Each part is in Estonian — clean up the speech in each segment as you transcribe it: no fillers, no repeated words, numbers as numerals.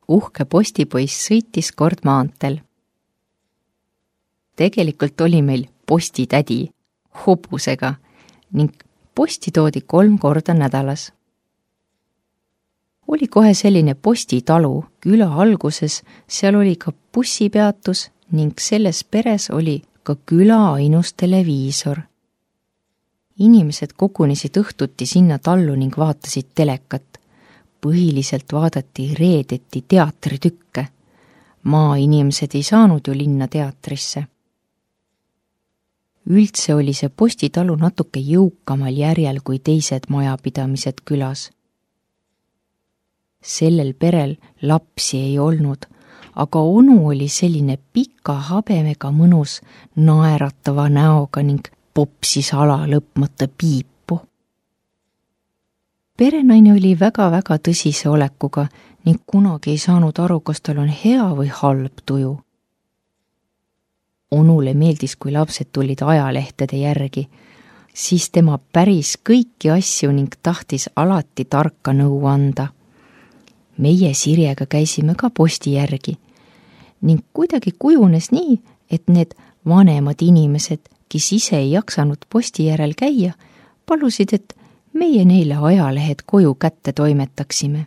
uhke postipoiss sõitis kord maanteel. Tegelikult oli meil postitädi hobusega ning posti toodi 3 korda nädalas. Oli kohe selline postitalu küla alguses, seal oli ka bussipeatus ning selles peres oli ka küla ainus televiisor. Inimesed kogunesid õhtuti sinna tallu ning vaatasid telekat. Põhiliselt vaadati reedeti teatritükke. Maainimesed ei saanud ju linna teatrisse. Üldse oli see postitalu natuke jõukamal järjel kui teised majapidamised külas. Sellel perel lapsi ei olnud, aga onu oli selline pika habemega mõnus naeratava näoga ning popsis ala lõpmata piipu. Perenaine oli väga-väga tõsise olekuga ning kunagi ei saanud aru, kas tal on hea või halb tuju. Onule meeldis, kui lapsed tulid ajalehtede järgi, siis tema päris kõiki asju ning tahtis alati tarka nõu anda. Meie Sirjega käisime ka posti järgi ning kuidagi kujunes nii, et need vanemad inimesed, kes ise ei jaksanud posti järel käia, palusid, et meie neile ajalehed koju kätte toimetaksime.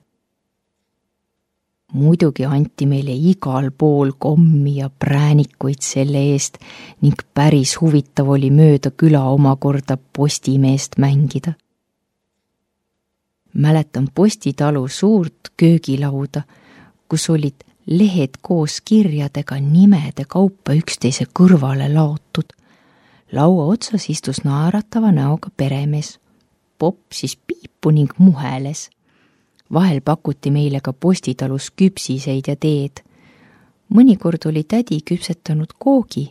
Muidugi anti meile igal pool kommi ja präänikuid selle eest ning päris huvitav oli mööda küla omakorda postimeest mängida. Mäletan postitalu suurt köögilauda, kus olid lehed koos kirjadega nimede kaupa üksteise kõrvale laotud. Laua otsas istus naeratava näoga peremees, popsis piipu ning muheles. Vahel pakuti meile ka postitalus küpsiseid ja teed. Mõnikord oli tädi küpsetanud koogi.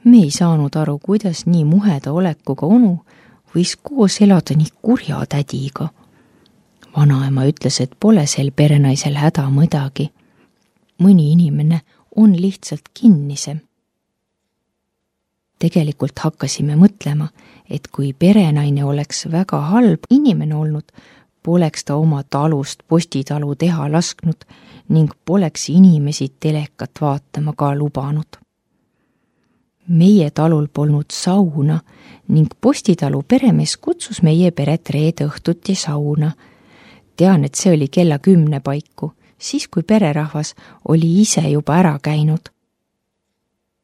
Me ei saanud aru, kuidas nii muheda olekuga onu võis koos elada nii kurja tädiga. Vanaema ütles, et pole sel perenaisel häda mõdagi. Mõni inimene on lihtsalt kinnisem. Tegelikult hakkasime mõtlema, et kui perenaine oleks väga halb inimene olnud, poleks ta oma talust postitalu teha lasknud ning poleks inimesi telekat vaatama ka lubanud. Meie talul polnud sauna ning postitalu peremees kutsus meie peret reede õhtuti sauna. Tean, et see oli kella 10 paiku, siis kui pererahvas oli ise juba ära käinud.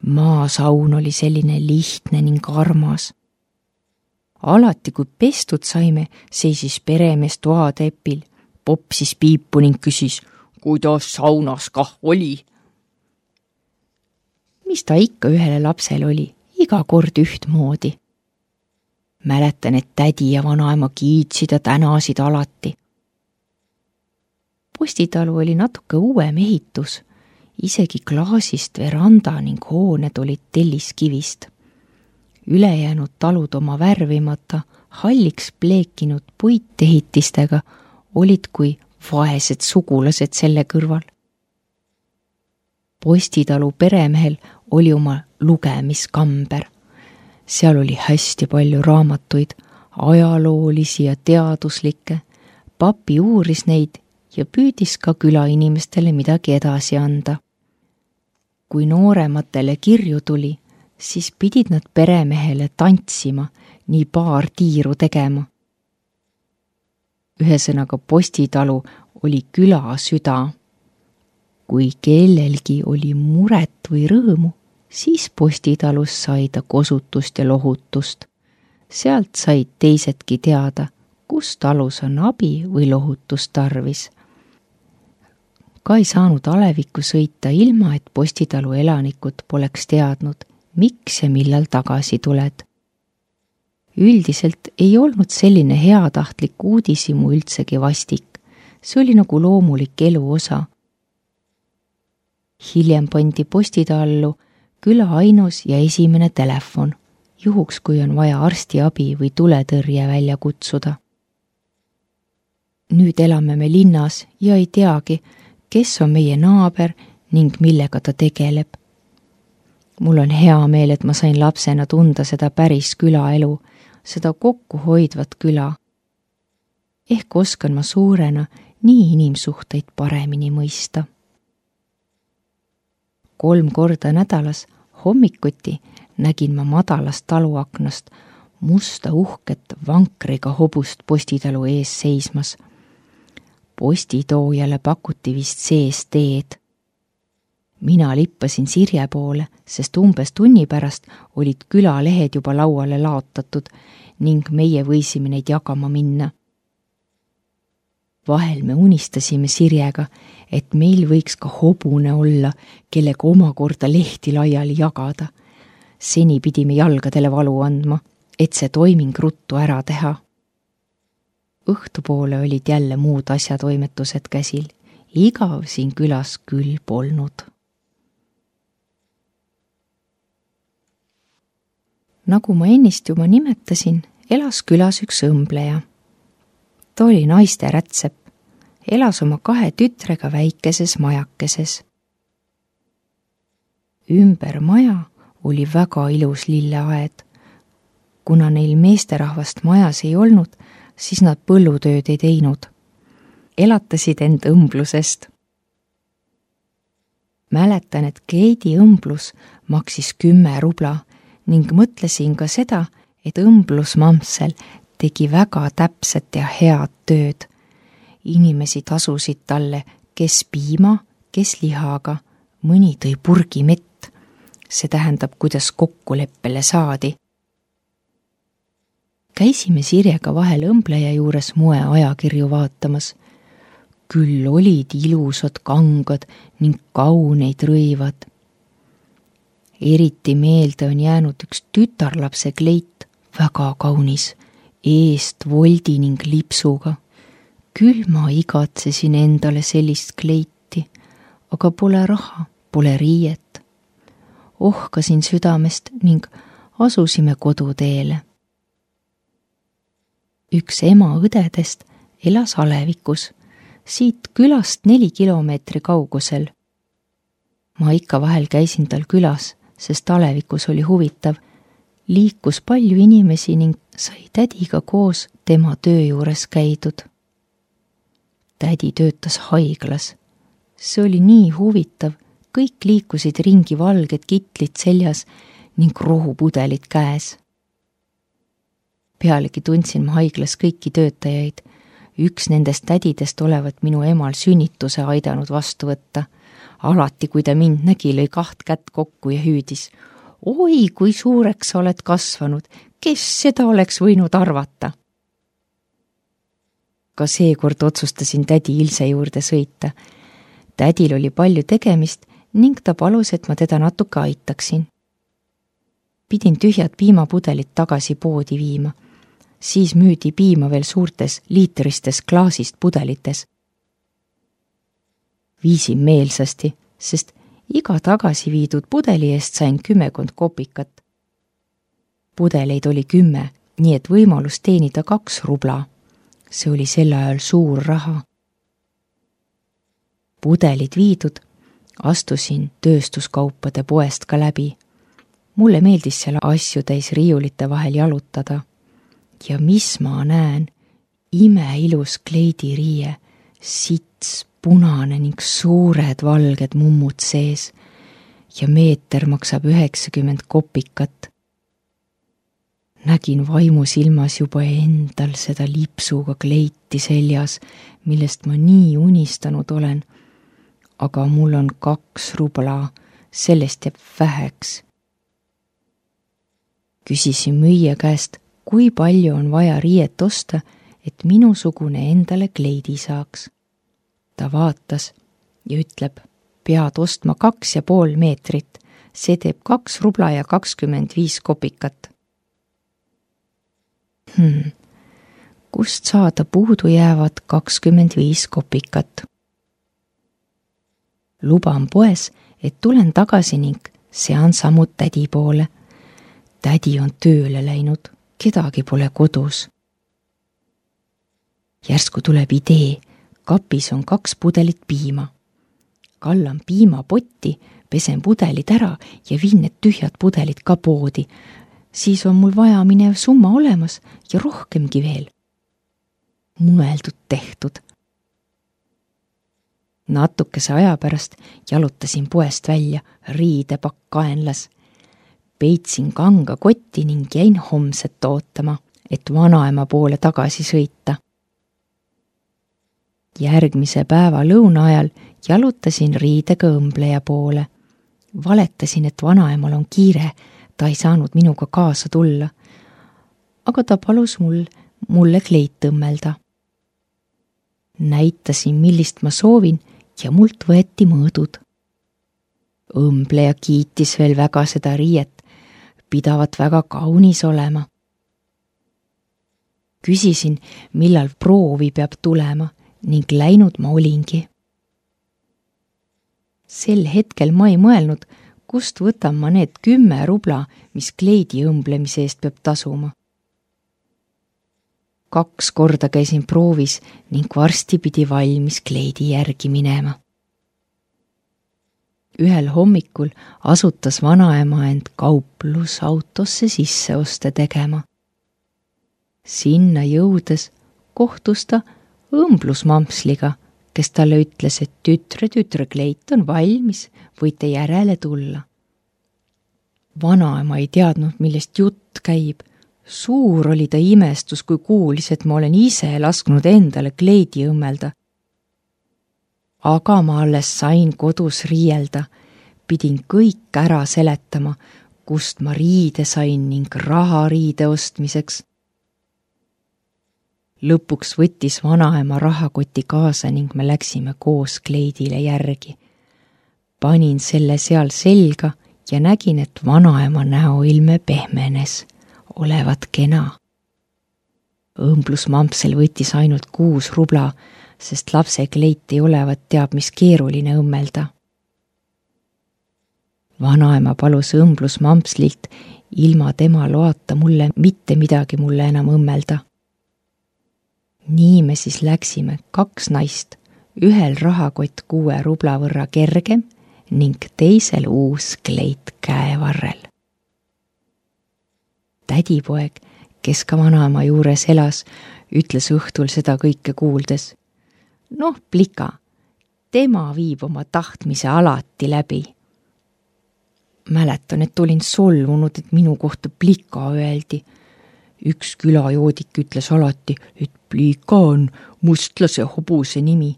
Maasaun oli selline lihtne ning armas. Alati, kui pestud saime, seisis peremees toatepil, popsis piipu ning küsis, kuidas saunas kah oli. Mis ta ikka ühele lapsele oli, iga kord ühtmoodi. Mäletan, et tädi ja vanaema kiitsid ja tänasid alati. Postitalu oli natuke uuem ehitus, isegi klaasist veranda ning hooned olid telliskivist. Ülejäänud talud oma värvimata, halliks pleekinud puitehitistega olid kui vaesed sugulased selle kõrval. Postitalu peremehel oli oma lugemiskamber. Seal oli hästi palju raamatuid, ajaloolisi ja teaduslikke. Papi uuris neid ja püüdis ka külainimestele midagi edasi anda. Kui noorematele kirju tuli, siis pidid nad peremehele tantsima, nii paar tiiru tegema. Ühesõnaga postitalu oli küla süda. Kui kellelgi oli muret või rõõmu, siis postitalus sai ta kosutust ja lohutust. Sealt said teisedki teada, kus talus on abi või lohutust tarvis. Ka ei saanud alevikku sõita ilma, et postitalu elanikud poleks teadnud, miks ja millal tagasi tuled. Üldiselt ei olnud selline heatahtlik uudisimu üldsegi vastik. See oli nagu loomulik elu osa. Hiljem pandi postitallu küla ainus ja esimene telefon, juhuks kui on vaja arstiabi või tuletõrje välja kutsuda. Nüüd elame me linnas ja ei teagi, kes on meie naaber ning millega ta tegeleb. Mul on hea meel, et ma sain lapsena tunda seda päris külaelu, seda kokku hoidvat küla. Ehk oskan ma suurena nii inimsuhteid paremini mõista. 3 korda nädalas hommikuti nägin ma madalast taluaknast musta uhket vankriga hobust postitalu ees seismas. Postitoojale pakuti vist sees teed. Mina lippasin Sirje poole, sest umbes tunni pärast olid külalehed juba lauale laotatud ning meie võisime neid jagama minna. Vahel me unistasime Sirjega, et meil võiks ka hobune olla, kellega omakorda lehti laiali jagada. Seni pidime jalgadele valu andma, et see toiming ruttu ära teha. Õhtupoole olid jälle muud asjatoimetused käsil. Igav siin külas küll polnud. Nagu ma ennist juba nimetasin, elas külas üks õmbleja. Ta oli naiste rätsep, elas oma 2 tütrega väikeses majakeses. Ümber maja oli väga ilus lilleaed. Kuna neil meesterahvast majas ei olnud, siis nad põllutööd ei teinud. Elatasid end õmblusest. Mäletan, et Kleidi õmblus maksis 10 rubla ning mõtlesin ka seda, et õmblusmamsel tegi väga täpset ja head tööd. Inimesi tasusid talle, kes piima, kes lihaga, mõni tõi purgi mett. See tähendab, kuidas kokkuleppele saadi. Käisime Sirjega vahel õmbleja juures moe ajakirju vaatamas. Küll olid ilusad kangad ning kauneid rõivad. Eriti meelde on jäänud üks tütarlapse kleit, väga kaunis, eest voldi ning lipsuga. Küll ma igatsesin endale sellist kleiti, aga pole raha, pole riiet. Ohkasin südamest ning asusime koduteele. Üks ema õdedest elas Alevikus, siit külast 4 kilomeetri kaugusel. Ma ikka vahel käisin tal külas, sest Alevikus oli huvitav. Liikus palju inimesi ning sai tädiga koos tema töö juures käidud. Tädi töötas haiglas. See oli nii huvitav, kõik liikusid ringi valged kitlid seljas ning rohupudelid käes. Pealegi tundsin ma haiglas kõiki töötajaid. Üks nendest tädidest olevat minu emal sünnituse aidanud vastu võtta. Alati, kui ta mind nägi, lõi 2 kätt kokku ja hüüdis. Oi, kui suureks sa oled kasvanud, kes seda oleks võinud arvata? Ka seekord otsustasin tädi Ilse juurde sõita. Tädil oli palju tegemist ning ta palus, et ma teda natuke aitaksin. Pidin tühjad piimapudelit tagasi poodi viima. Siis müüdi piima veel suurtes liitristes klaasist pudelites. Viisin meelsasti, sest iga tagasi viidud pudeli eest sain 10 kopikat. Pudeleid oli 10, nii et võimalus teenida 2 rubla. See oli sel ajal suur raha. Pudelid viidud, astusin tööstuskaupade poest ka läbi. Mulle meeldis selle asju täis riiulite vahel jalutada. Ja mis ma näen? Imeilus kleidiriie, sits, punane ning suured valged mummud sees ja meeter maksab 90 kopikat. Nägin vaimusilmas juba endal seda lipsuga kleiti seljas, millest ma nii unistanud olen. Aga mul on 2 rubla, sellest jääb väheks. Küsisin müüja käest, kui palju on vaja riiet osta, et minusugune endale kleidi saaks. Ta vaatas ja ütleb, pead ostma 2,5 meetrit, see teeb 2 rubla ja 25 kopikat. Kust saada puudu jäävad 25 kopikat? Luban poes, et tulen tagasi ning sean sammud tädi poole. Tädi on tööle läinud, kedagi pole kodus. Järsku tuleb idee, kapis on 2 pudelit piima. Kallan piimapotti, pesen pudelid ära ja viin need tühjad pudelid ka poodi. Siis on mul vaja minev summa olemas ja rohkemgi veel. Mõeldud tehtud. Natukese aja pärast jalutasin poest välja, riidepakk kaenlas. Peitsin kanga kotti ning jäin homset ootama, et vanaema poole tagasi sõita. Järgmise päeva lõuna ajal jalutasin riidega õmbleja poole. Valetasin, et vanaemal on kiire, ta ei saanud minuga kaasa tulla. Aga ta palus mulle kleit õmmelda. Näitasin, millist ma soovin ja mult võeti mõõdud. Õmbleja kiitis veel väga seda riiet, pidavat väga kaunis olema. Küsisin, millal proovi peab tulema ning läinud ma olingi. Sel hetkel ma ei mõelnud, kust võtan ma need 10 rubla, mis kleidi õmblemise eest peab tasuma. 2 korda käisin proovis ning varsti pidi valmis kleidi järgi minema. Ühel hommikul asutas vanaema end kauplusautosse sisseoste tegema. Sinna jõudes kohtus ta õmblusmampsliga, kes talle ütles, et tütre, kleit on valmis, võite järele tulla. Vanaema ei teadnud, millest jutt käib. Suur oli ta imestus, kui kuulis, et ma olen ise lasknud endale kleidi õmmelda. Aga ma alles sain kodus riielda, pidin kõik ära seletama, kust ma riide sain ning raha riide ostmiseks. Lõpuks võttis vanaema rahakoti kaasa ning me läksime koos kleidile järgi. Panin selle seal selga ja nägin, et vanaema näoilme pehmenes, olevat kena. Õmblusmampsel võttis ainult 6 rubla, sest lapse kleit ei olevat teab, mis keeruline õmmelda. Vanaema palus õmblusmampslilt ilma tema loata mulle mitte midagi mulle enam õmmelda. Nii me siis läksime 2 naist, ühel rahakott 6 rubla võrra kergem ning teisel uus kleit käevarrel. Tädipoeg, kes ka vanaema juures elas, ütles õhtul seda kõike kuuldes. Noh, plika, tema viib oma tahtmise alati läbi. Mäletan, et olin solvunud, et minu kohta plika öeldi. Üks külajoodik ütles alati, et plika on mustlase hobuse nimi.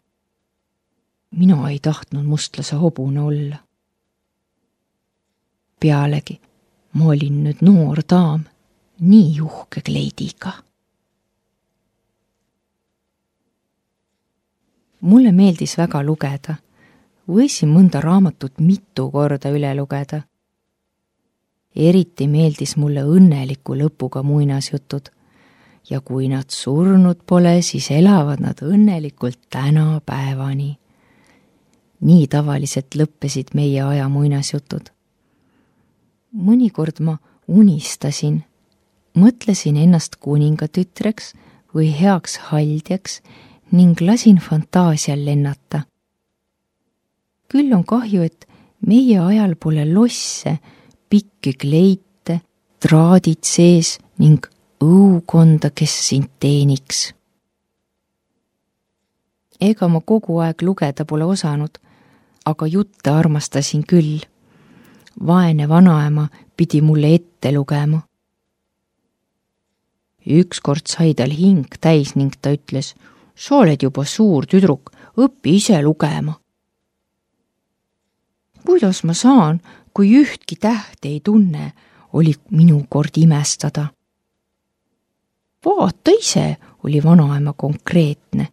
Mina ei tahtnud mustlase hobune olla. Pealegi, ma olin nüüd noor daam, nii uhke kleidiga. Mulle meeldis väga lugeda. Võisin mõnda raamatut mitu korda üle lugeda. Eriti meeldis mulle õnneliku lõpuga muinasjutud ja kui nad surnud pole, siis elavad nad õnnelikult tänapäevani. Nii tavaliselt lõppesid meie aja muinasjutud. Mõnikord ma unistasin, mõtlesin ennast kuningatütreks või heaks haldjaks ning lasin fantaasial lennata. Küll on kahju, et meie ajal pole losse, pikki kleite, traadid sees ning õukonda, kes sind teeniks. Ega ma kogu aeg lugeda pole osanud, aga jutte armastasin küll. Vaene vanaema pidi mulle ette lugema. Ükskord sai tal hing täis ning ta ütles, sa oled juba suur tüdruk, õpi ise lugema. Kuidas ma saan, kui ühtki tähte ei tunne, oli minu kord imestada. Vaata ise, oli vanaema konkreetne.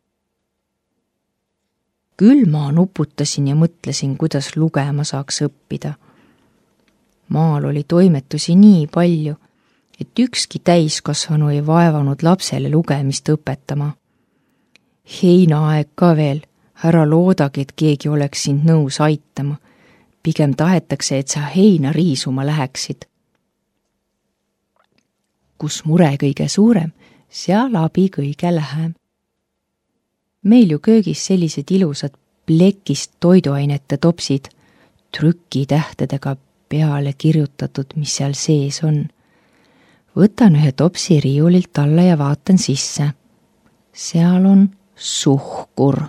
Küll ma nuputasin ja mõtlesin, kuidas lugema saaks õppida. Maal oli toimetusi nii palju, et ükski täiskasvanu ei vaevanud lapsele lugemist õpetama. Heinaaeg ka veel, ära loodagi, et keegi oleks sind nõus aitama. Pigem tahetakse, et sa heina riisuma läheksid. Kus mure kõige suurem, seal abi kõige lähem. Meil ju köögis sellised ilusad plekist toiduainete topsid, trükitähtedega peale kirjutatud, mis seal sees on. Võtan ühe topsi riiulilt alla ja vaatan sisse. Seal on suhkur.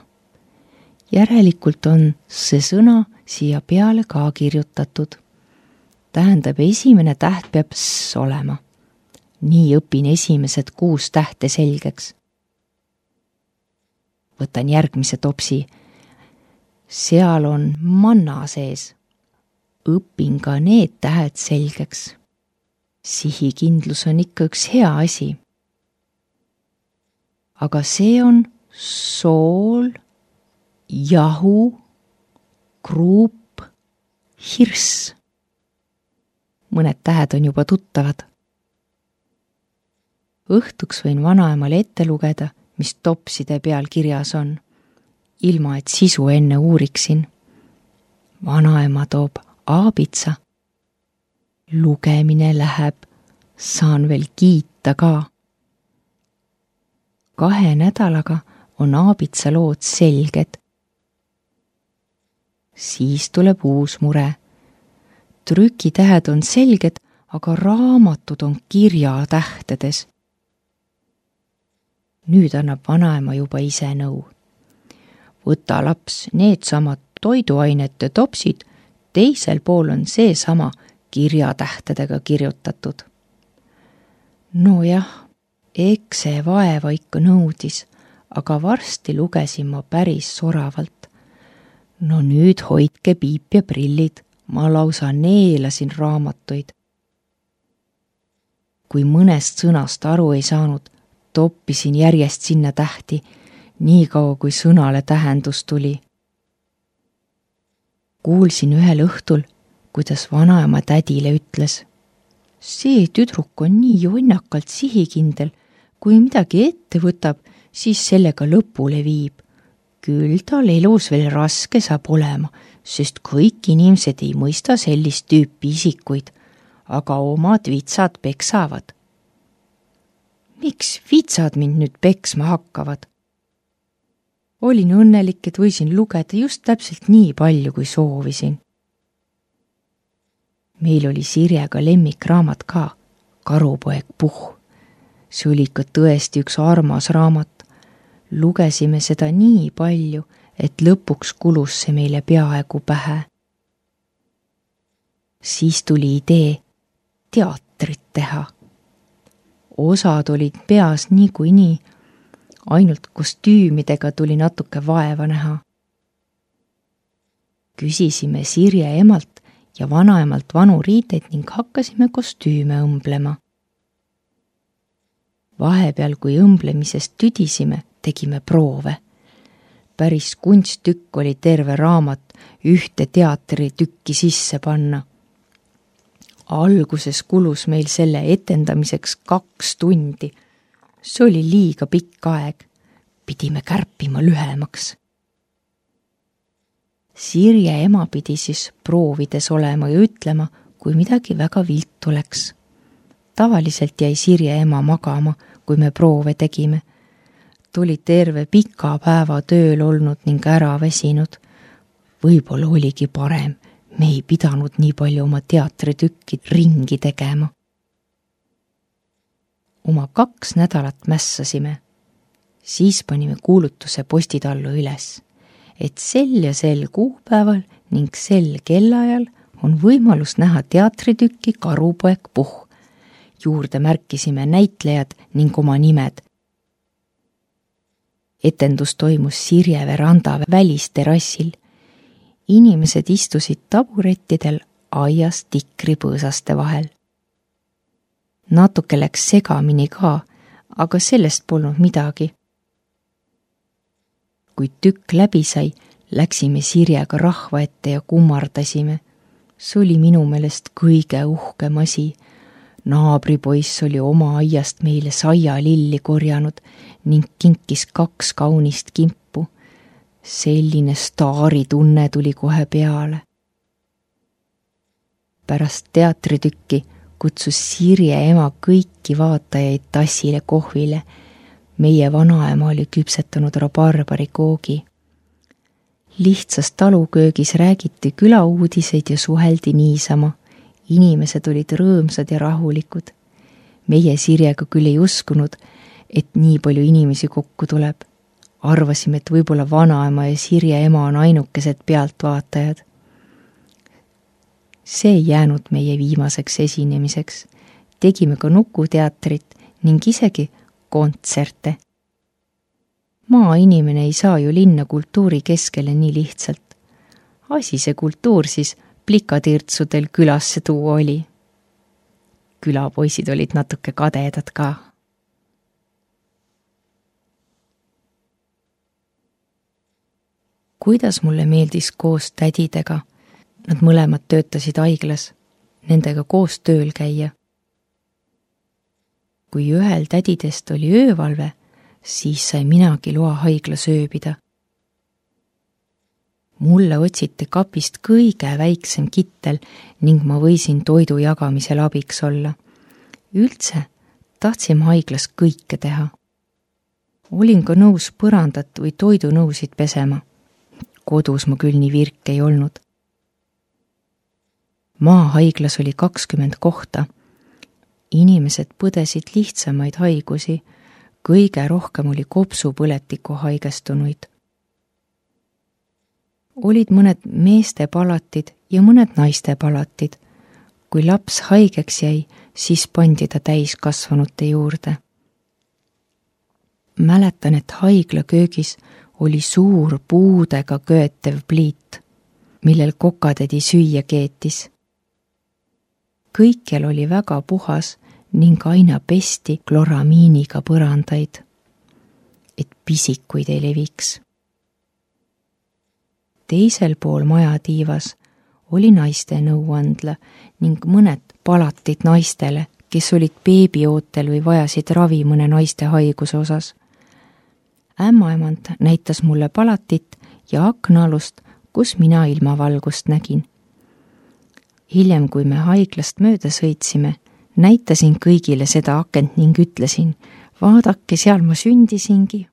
Järelikult on see sõna siia peale ka kirjutatud. Tähendab, esimene täht peab s olema. Nii õpin esimesed 6 tähte selgeks. Võtan järgmise topsi. Seal on manna sees. Õpin ka need tähed selgeks. Sihikindlus on ikka üks hea asi. Aga see on sool, jahu, kruup, hirss. Mõned tähed on juba tuttavad. Õhtuks võin vanaemale ette lugeda, mis topside peal kirjas on, ilma et sisu enne uuriksin. Vanaema toob aabitsa. Lugemine läheb, saan veel kiita ka. 2 nädalaga on aabitsa lood selged. Siis tuleb uus mure. Trükitähed on selged, aga raamatud on kirjatähtedes. Nüüd annab vanaema juba ise nõu. Võta laps needsamad toiduainete topsid, teisel pool on seesama kirjatähtedega kirjutatud. No jah, eks see vaeva ikka nõudis, aga varsti lugesin ma päris soravalt. No nüüd hoidke piip ja prillid, ma lausa neelasin raamatuid. Kui mõnest sõnast aru ei saanud, toppisin järjest sinna tähti, nii kaua kui sõnale tähendus tuli. Kuulsin ühel õhtul, kuidas vanaema tädile ütles. See tüdruk on nii jonnakalt sihikindel, kui midagi ette võtab, siis sellega lõpule viib. Küll tal elus veel raske saab olema, sest kõik inimesed ei mõista sellist tüüpi isikuid, aga omad vitsad peksavad. Miks vitsad mind nüüd peksma hakkavad? Olin õnnelik, et võisin lugeda just täpselt nii palju, kui soovisin. Meil oli Sirjega lemmikraamat ka, Karupoeg Puhh. See oli ikka tõesti üks armas raamat. Lugesime seda nii palju, et lõpuks kulus see meile peaaegu pähe. Siis tuli idee teatrit teha. Osad olid peas niikuinii, ainult kostüümidega tuli natuke vaeva näha. Küsisime Sirje emalt ja vanaemalt vanu riideid ning hakkasime kostüüme õmblema. Vahepeal, kui õmblemisest tüdisime, tegime proove. Päris kunsttükk oli terve raamat ühte teatritükki sisse panna. Alguses kulus meil selle etendamiseks 2 tundi. See oli liiga pikk aeg. Pidime kärpima lühemaks. Sirje ema pidi siis proovides olema ja ütlema, kui midagi väga vilt oleks. Tavaliselt jäi Sirje ema magama, kui me proove tegime. Tuli terve pika päeva tööl olnud ning ära väsinud. Võib-olla oligi parem, me ei pidanud nii palju oma teatritükki ringi tegema. Oma 2 nädalat mässasime. Siis panime kuulutuse postitallu üles, et sel ja sel kuupäeval ning sel kellaajal on võimalus näha teatritükki Karupoeg Puhh. Juurde märkisime näitlejad ning oma nimed. Etendus toimus Sirje veranda välisterassil. Inimesed istusid taburettidel aias tikripõõsaste vahel. Natuke läks segamini ka, aga sellest polnud midagi. Kui tükk läbi sai, läksime Sirjega rahva ette ja kummardasime. See oli minu meelest kõige uhkem asi. Naabripoiss oli oma aiast meile saialilli korjanud ning kinkis 2 kaunist kimpu. Selline staaritunne tuli kohe peale. Pärast teatritükki kutsus Sirje ema kõiki vaatajaid tassile kohvile. Meie vanaema oli küpsetanud rabarbarikoogi. Lihtsas taluköögis räägiti külauudiseid ja suheldi niisama. Inimesed olid rõõmsad ja rahulikud. Meie Sirjega küll ei uskunud, et nii palju inimesi kokku tuleb, Arvasime, et võib-olla vanaema ja Sirje ema on ainukesed pealtvaatajad. See ei jäänud meie viimaseks esinemiseks. Tegime ka nukuteatrit ning isegi kontserte. Maainimene ei saa ju linna kultuuri keskele nii lihtsalt. Asi see kultuur siis plikatirtsudel külasse tuua oli. Külapoisid olid natuke kadedad ka. Kuidas mulle meeldis koos tädidega, nad mõlemad töötasid haiglas, nendega koos tööl käia. Kui ühel tädidest oli öövalve, siis sai minagi loa haiglas ööbida. Mulle otsiti kapist kõige väiksem kittel ning ma võisin toidu jagamisel abiks olla. Üldse tahtsime haiglas kõike teha. Olin ka nõus põrandat või toidunõusid pesema. Kodus ma küll nii virk ei olnud. Maahaiglas oli 20 kohta. Inimesed põdesid lihtsamaid haigusi, kõige rohkem oli kopsupõletiku haigestunuid. Olid mõned meeste palatid ja mõned naiste palatid. Kui laps haigeks jäi, siis pandi ta täiskasvanute juurde. Mäletan, et haigla köögis oli suur puudega köötev pliit, millel kokatädi süüa keetis. Kõikjal oli väga puhas ning aina pesti kloramiiniga põrandaid, et pisikuid ei leviks. Teisel pool majatiivas oli naiste nõuandla ning mõned palatid naistele, kes olid beebiootel või vajasid ravi mõne naiste haiguse osas. Ämmaemand näitas mulle palatit ja aknaalust, kus mina ilmavalgust nägin. Hiljem, kui me haiglast mööda sõitsime, näitasin kõigile seda akent ning ütlesin, vaadake, seal ma sündisingi.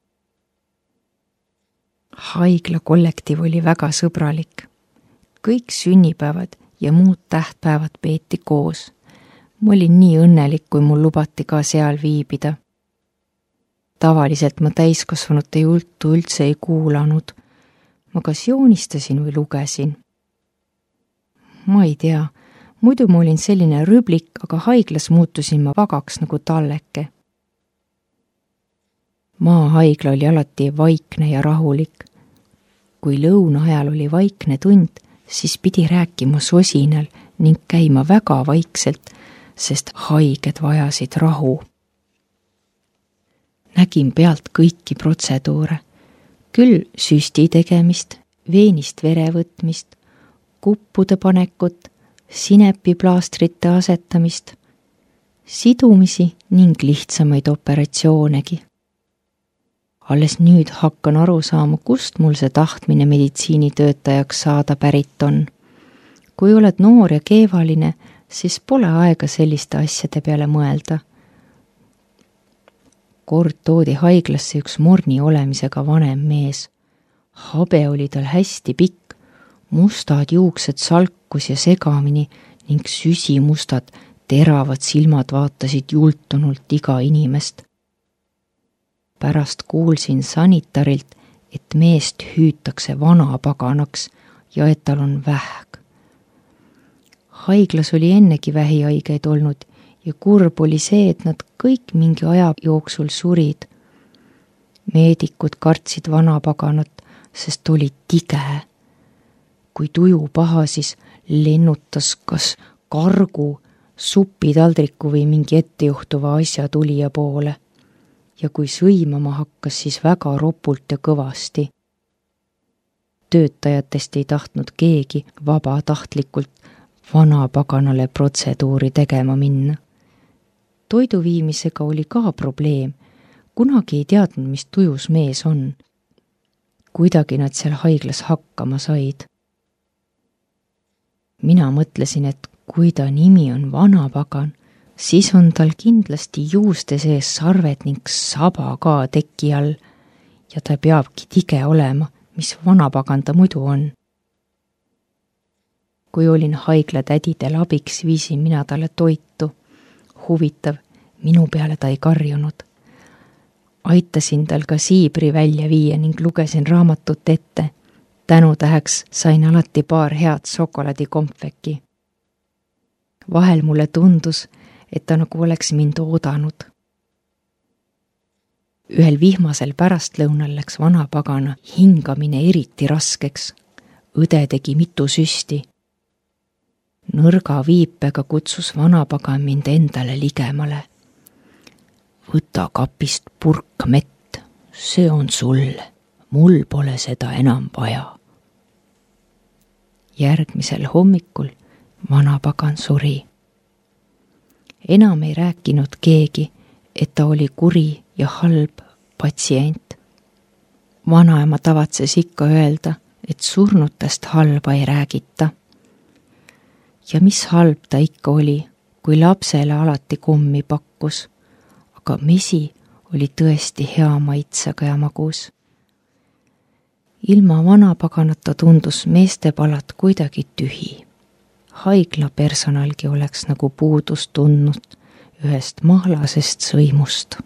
Haigla kollektiiv oli väga sõbralik. Kõik sünnipäevad ja muud tähtpäevad peeti koos. Ma olin nii õnnelik, kui mul lubati ka seal viibida. Tavaliselt ma täiskasvanute juttu üldse ei kuulanud. Ma kas joonistasin või lugesin. Ma ei tea, muidu ma olin selline rüblik, aga haiglas muutusin ma vagaks nagu talleke. Maahaigla oli alati vaikne ja rahulik. Kui lõuna ajal oli vaikne tund, siis pidi rääkima sosinal ning käima väga vaikselt, sest haiged vajasid rahu. Nägin pealt kõiki protseduure, küll süsti tegemist, veenist vere võtmist, kuppude panekut, sinepiplaastrite asetamist, sidumisi ning lihtsamaid operatsioonegi. Alles nüüd hakkan aru saama, kust mul see tahtmine meditsiinitöötajaks saada pärit on. Kui oled noor ja keevaline, siis pole aega selliste asjade peale mõelda. Kord toodi haiglasse üks morni olemisega vanem mees. Habe oli tal hästi pikk, mustad juuksed salkus ja segamini ning süsimustad teravad silmad vaatasid jultunult iga inimest. Pärast kuulsin sanitarilt, et meest hüütakse vanapaganaks ja et tal on vähk. Haiglas oli ennegi vähihaigeid olnud ja kurb oli see, et nad kõik mingi aja jooksul surid. Meedikud kartsid vanapaganat, sest oli tige. Kui tuju pahasis, lennutas kas kargu, supitaldriku või mingi ettejuhtuva asja tulija poole. Ja kui sõimama hakkas, siis väga ropult ja kõvasti. Töötajatest ei tahtnud keegi vabatahtlikult vanapaganale protseduuri tegema minna. Toidu viimisega oli ka probleem. Kunagi ei teadnud, mis tujus mees on. Kuidagi nad seal haiglas hakkama said. Mina mõtlesin, et kui ta nimi on vanapagan, siis on tal kindlasti juuste sees sarved ning saba ka teki all ja ta peabki tige olema, mis vanapagan ta muidu on. Kui olin haigla tädidel abiks, viisin mina talle toitu. Huvitav, minu peale ta ei karjunud. Aitasin tal ka siibri välja viia ning lugesin raamatut ette. Tänutäheks sain alati paar head šokolaadikompveki. Vahel mulle tundus, et ta nagu oleks mind oodanud. Ühel vihmasel pärastlõunal läks vanapagana hingamine eriti raskeks. Õde tegi mitu süsti. Nõrga viipega kutsus vanapagan mind endale ligemale. Võta kapist purk mett, see on sulle, mul pole seda enam vaja. Järgmisel hommikul vanapagan suri. Enam ei rääkinud keegi, et ta oli kuri ja halb patsient. Vanaema tavatses ikka öelda, et surnutest halba ei räägita. Ja mis halb ta ikka oli, kui lapsele alati kummi pakkus, aga mesi oli tõesti hea maitsega ja magus. Ilma vanapaganata tundus meestepalat kuidagi tühi. Haigla personalgi oleks nagu puudust tundnud ühest mahlasest sõimust.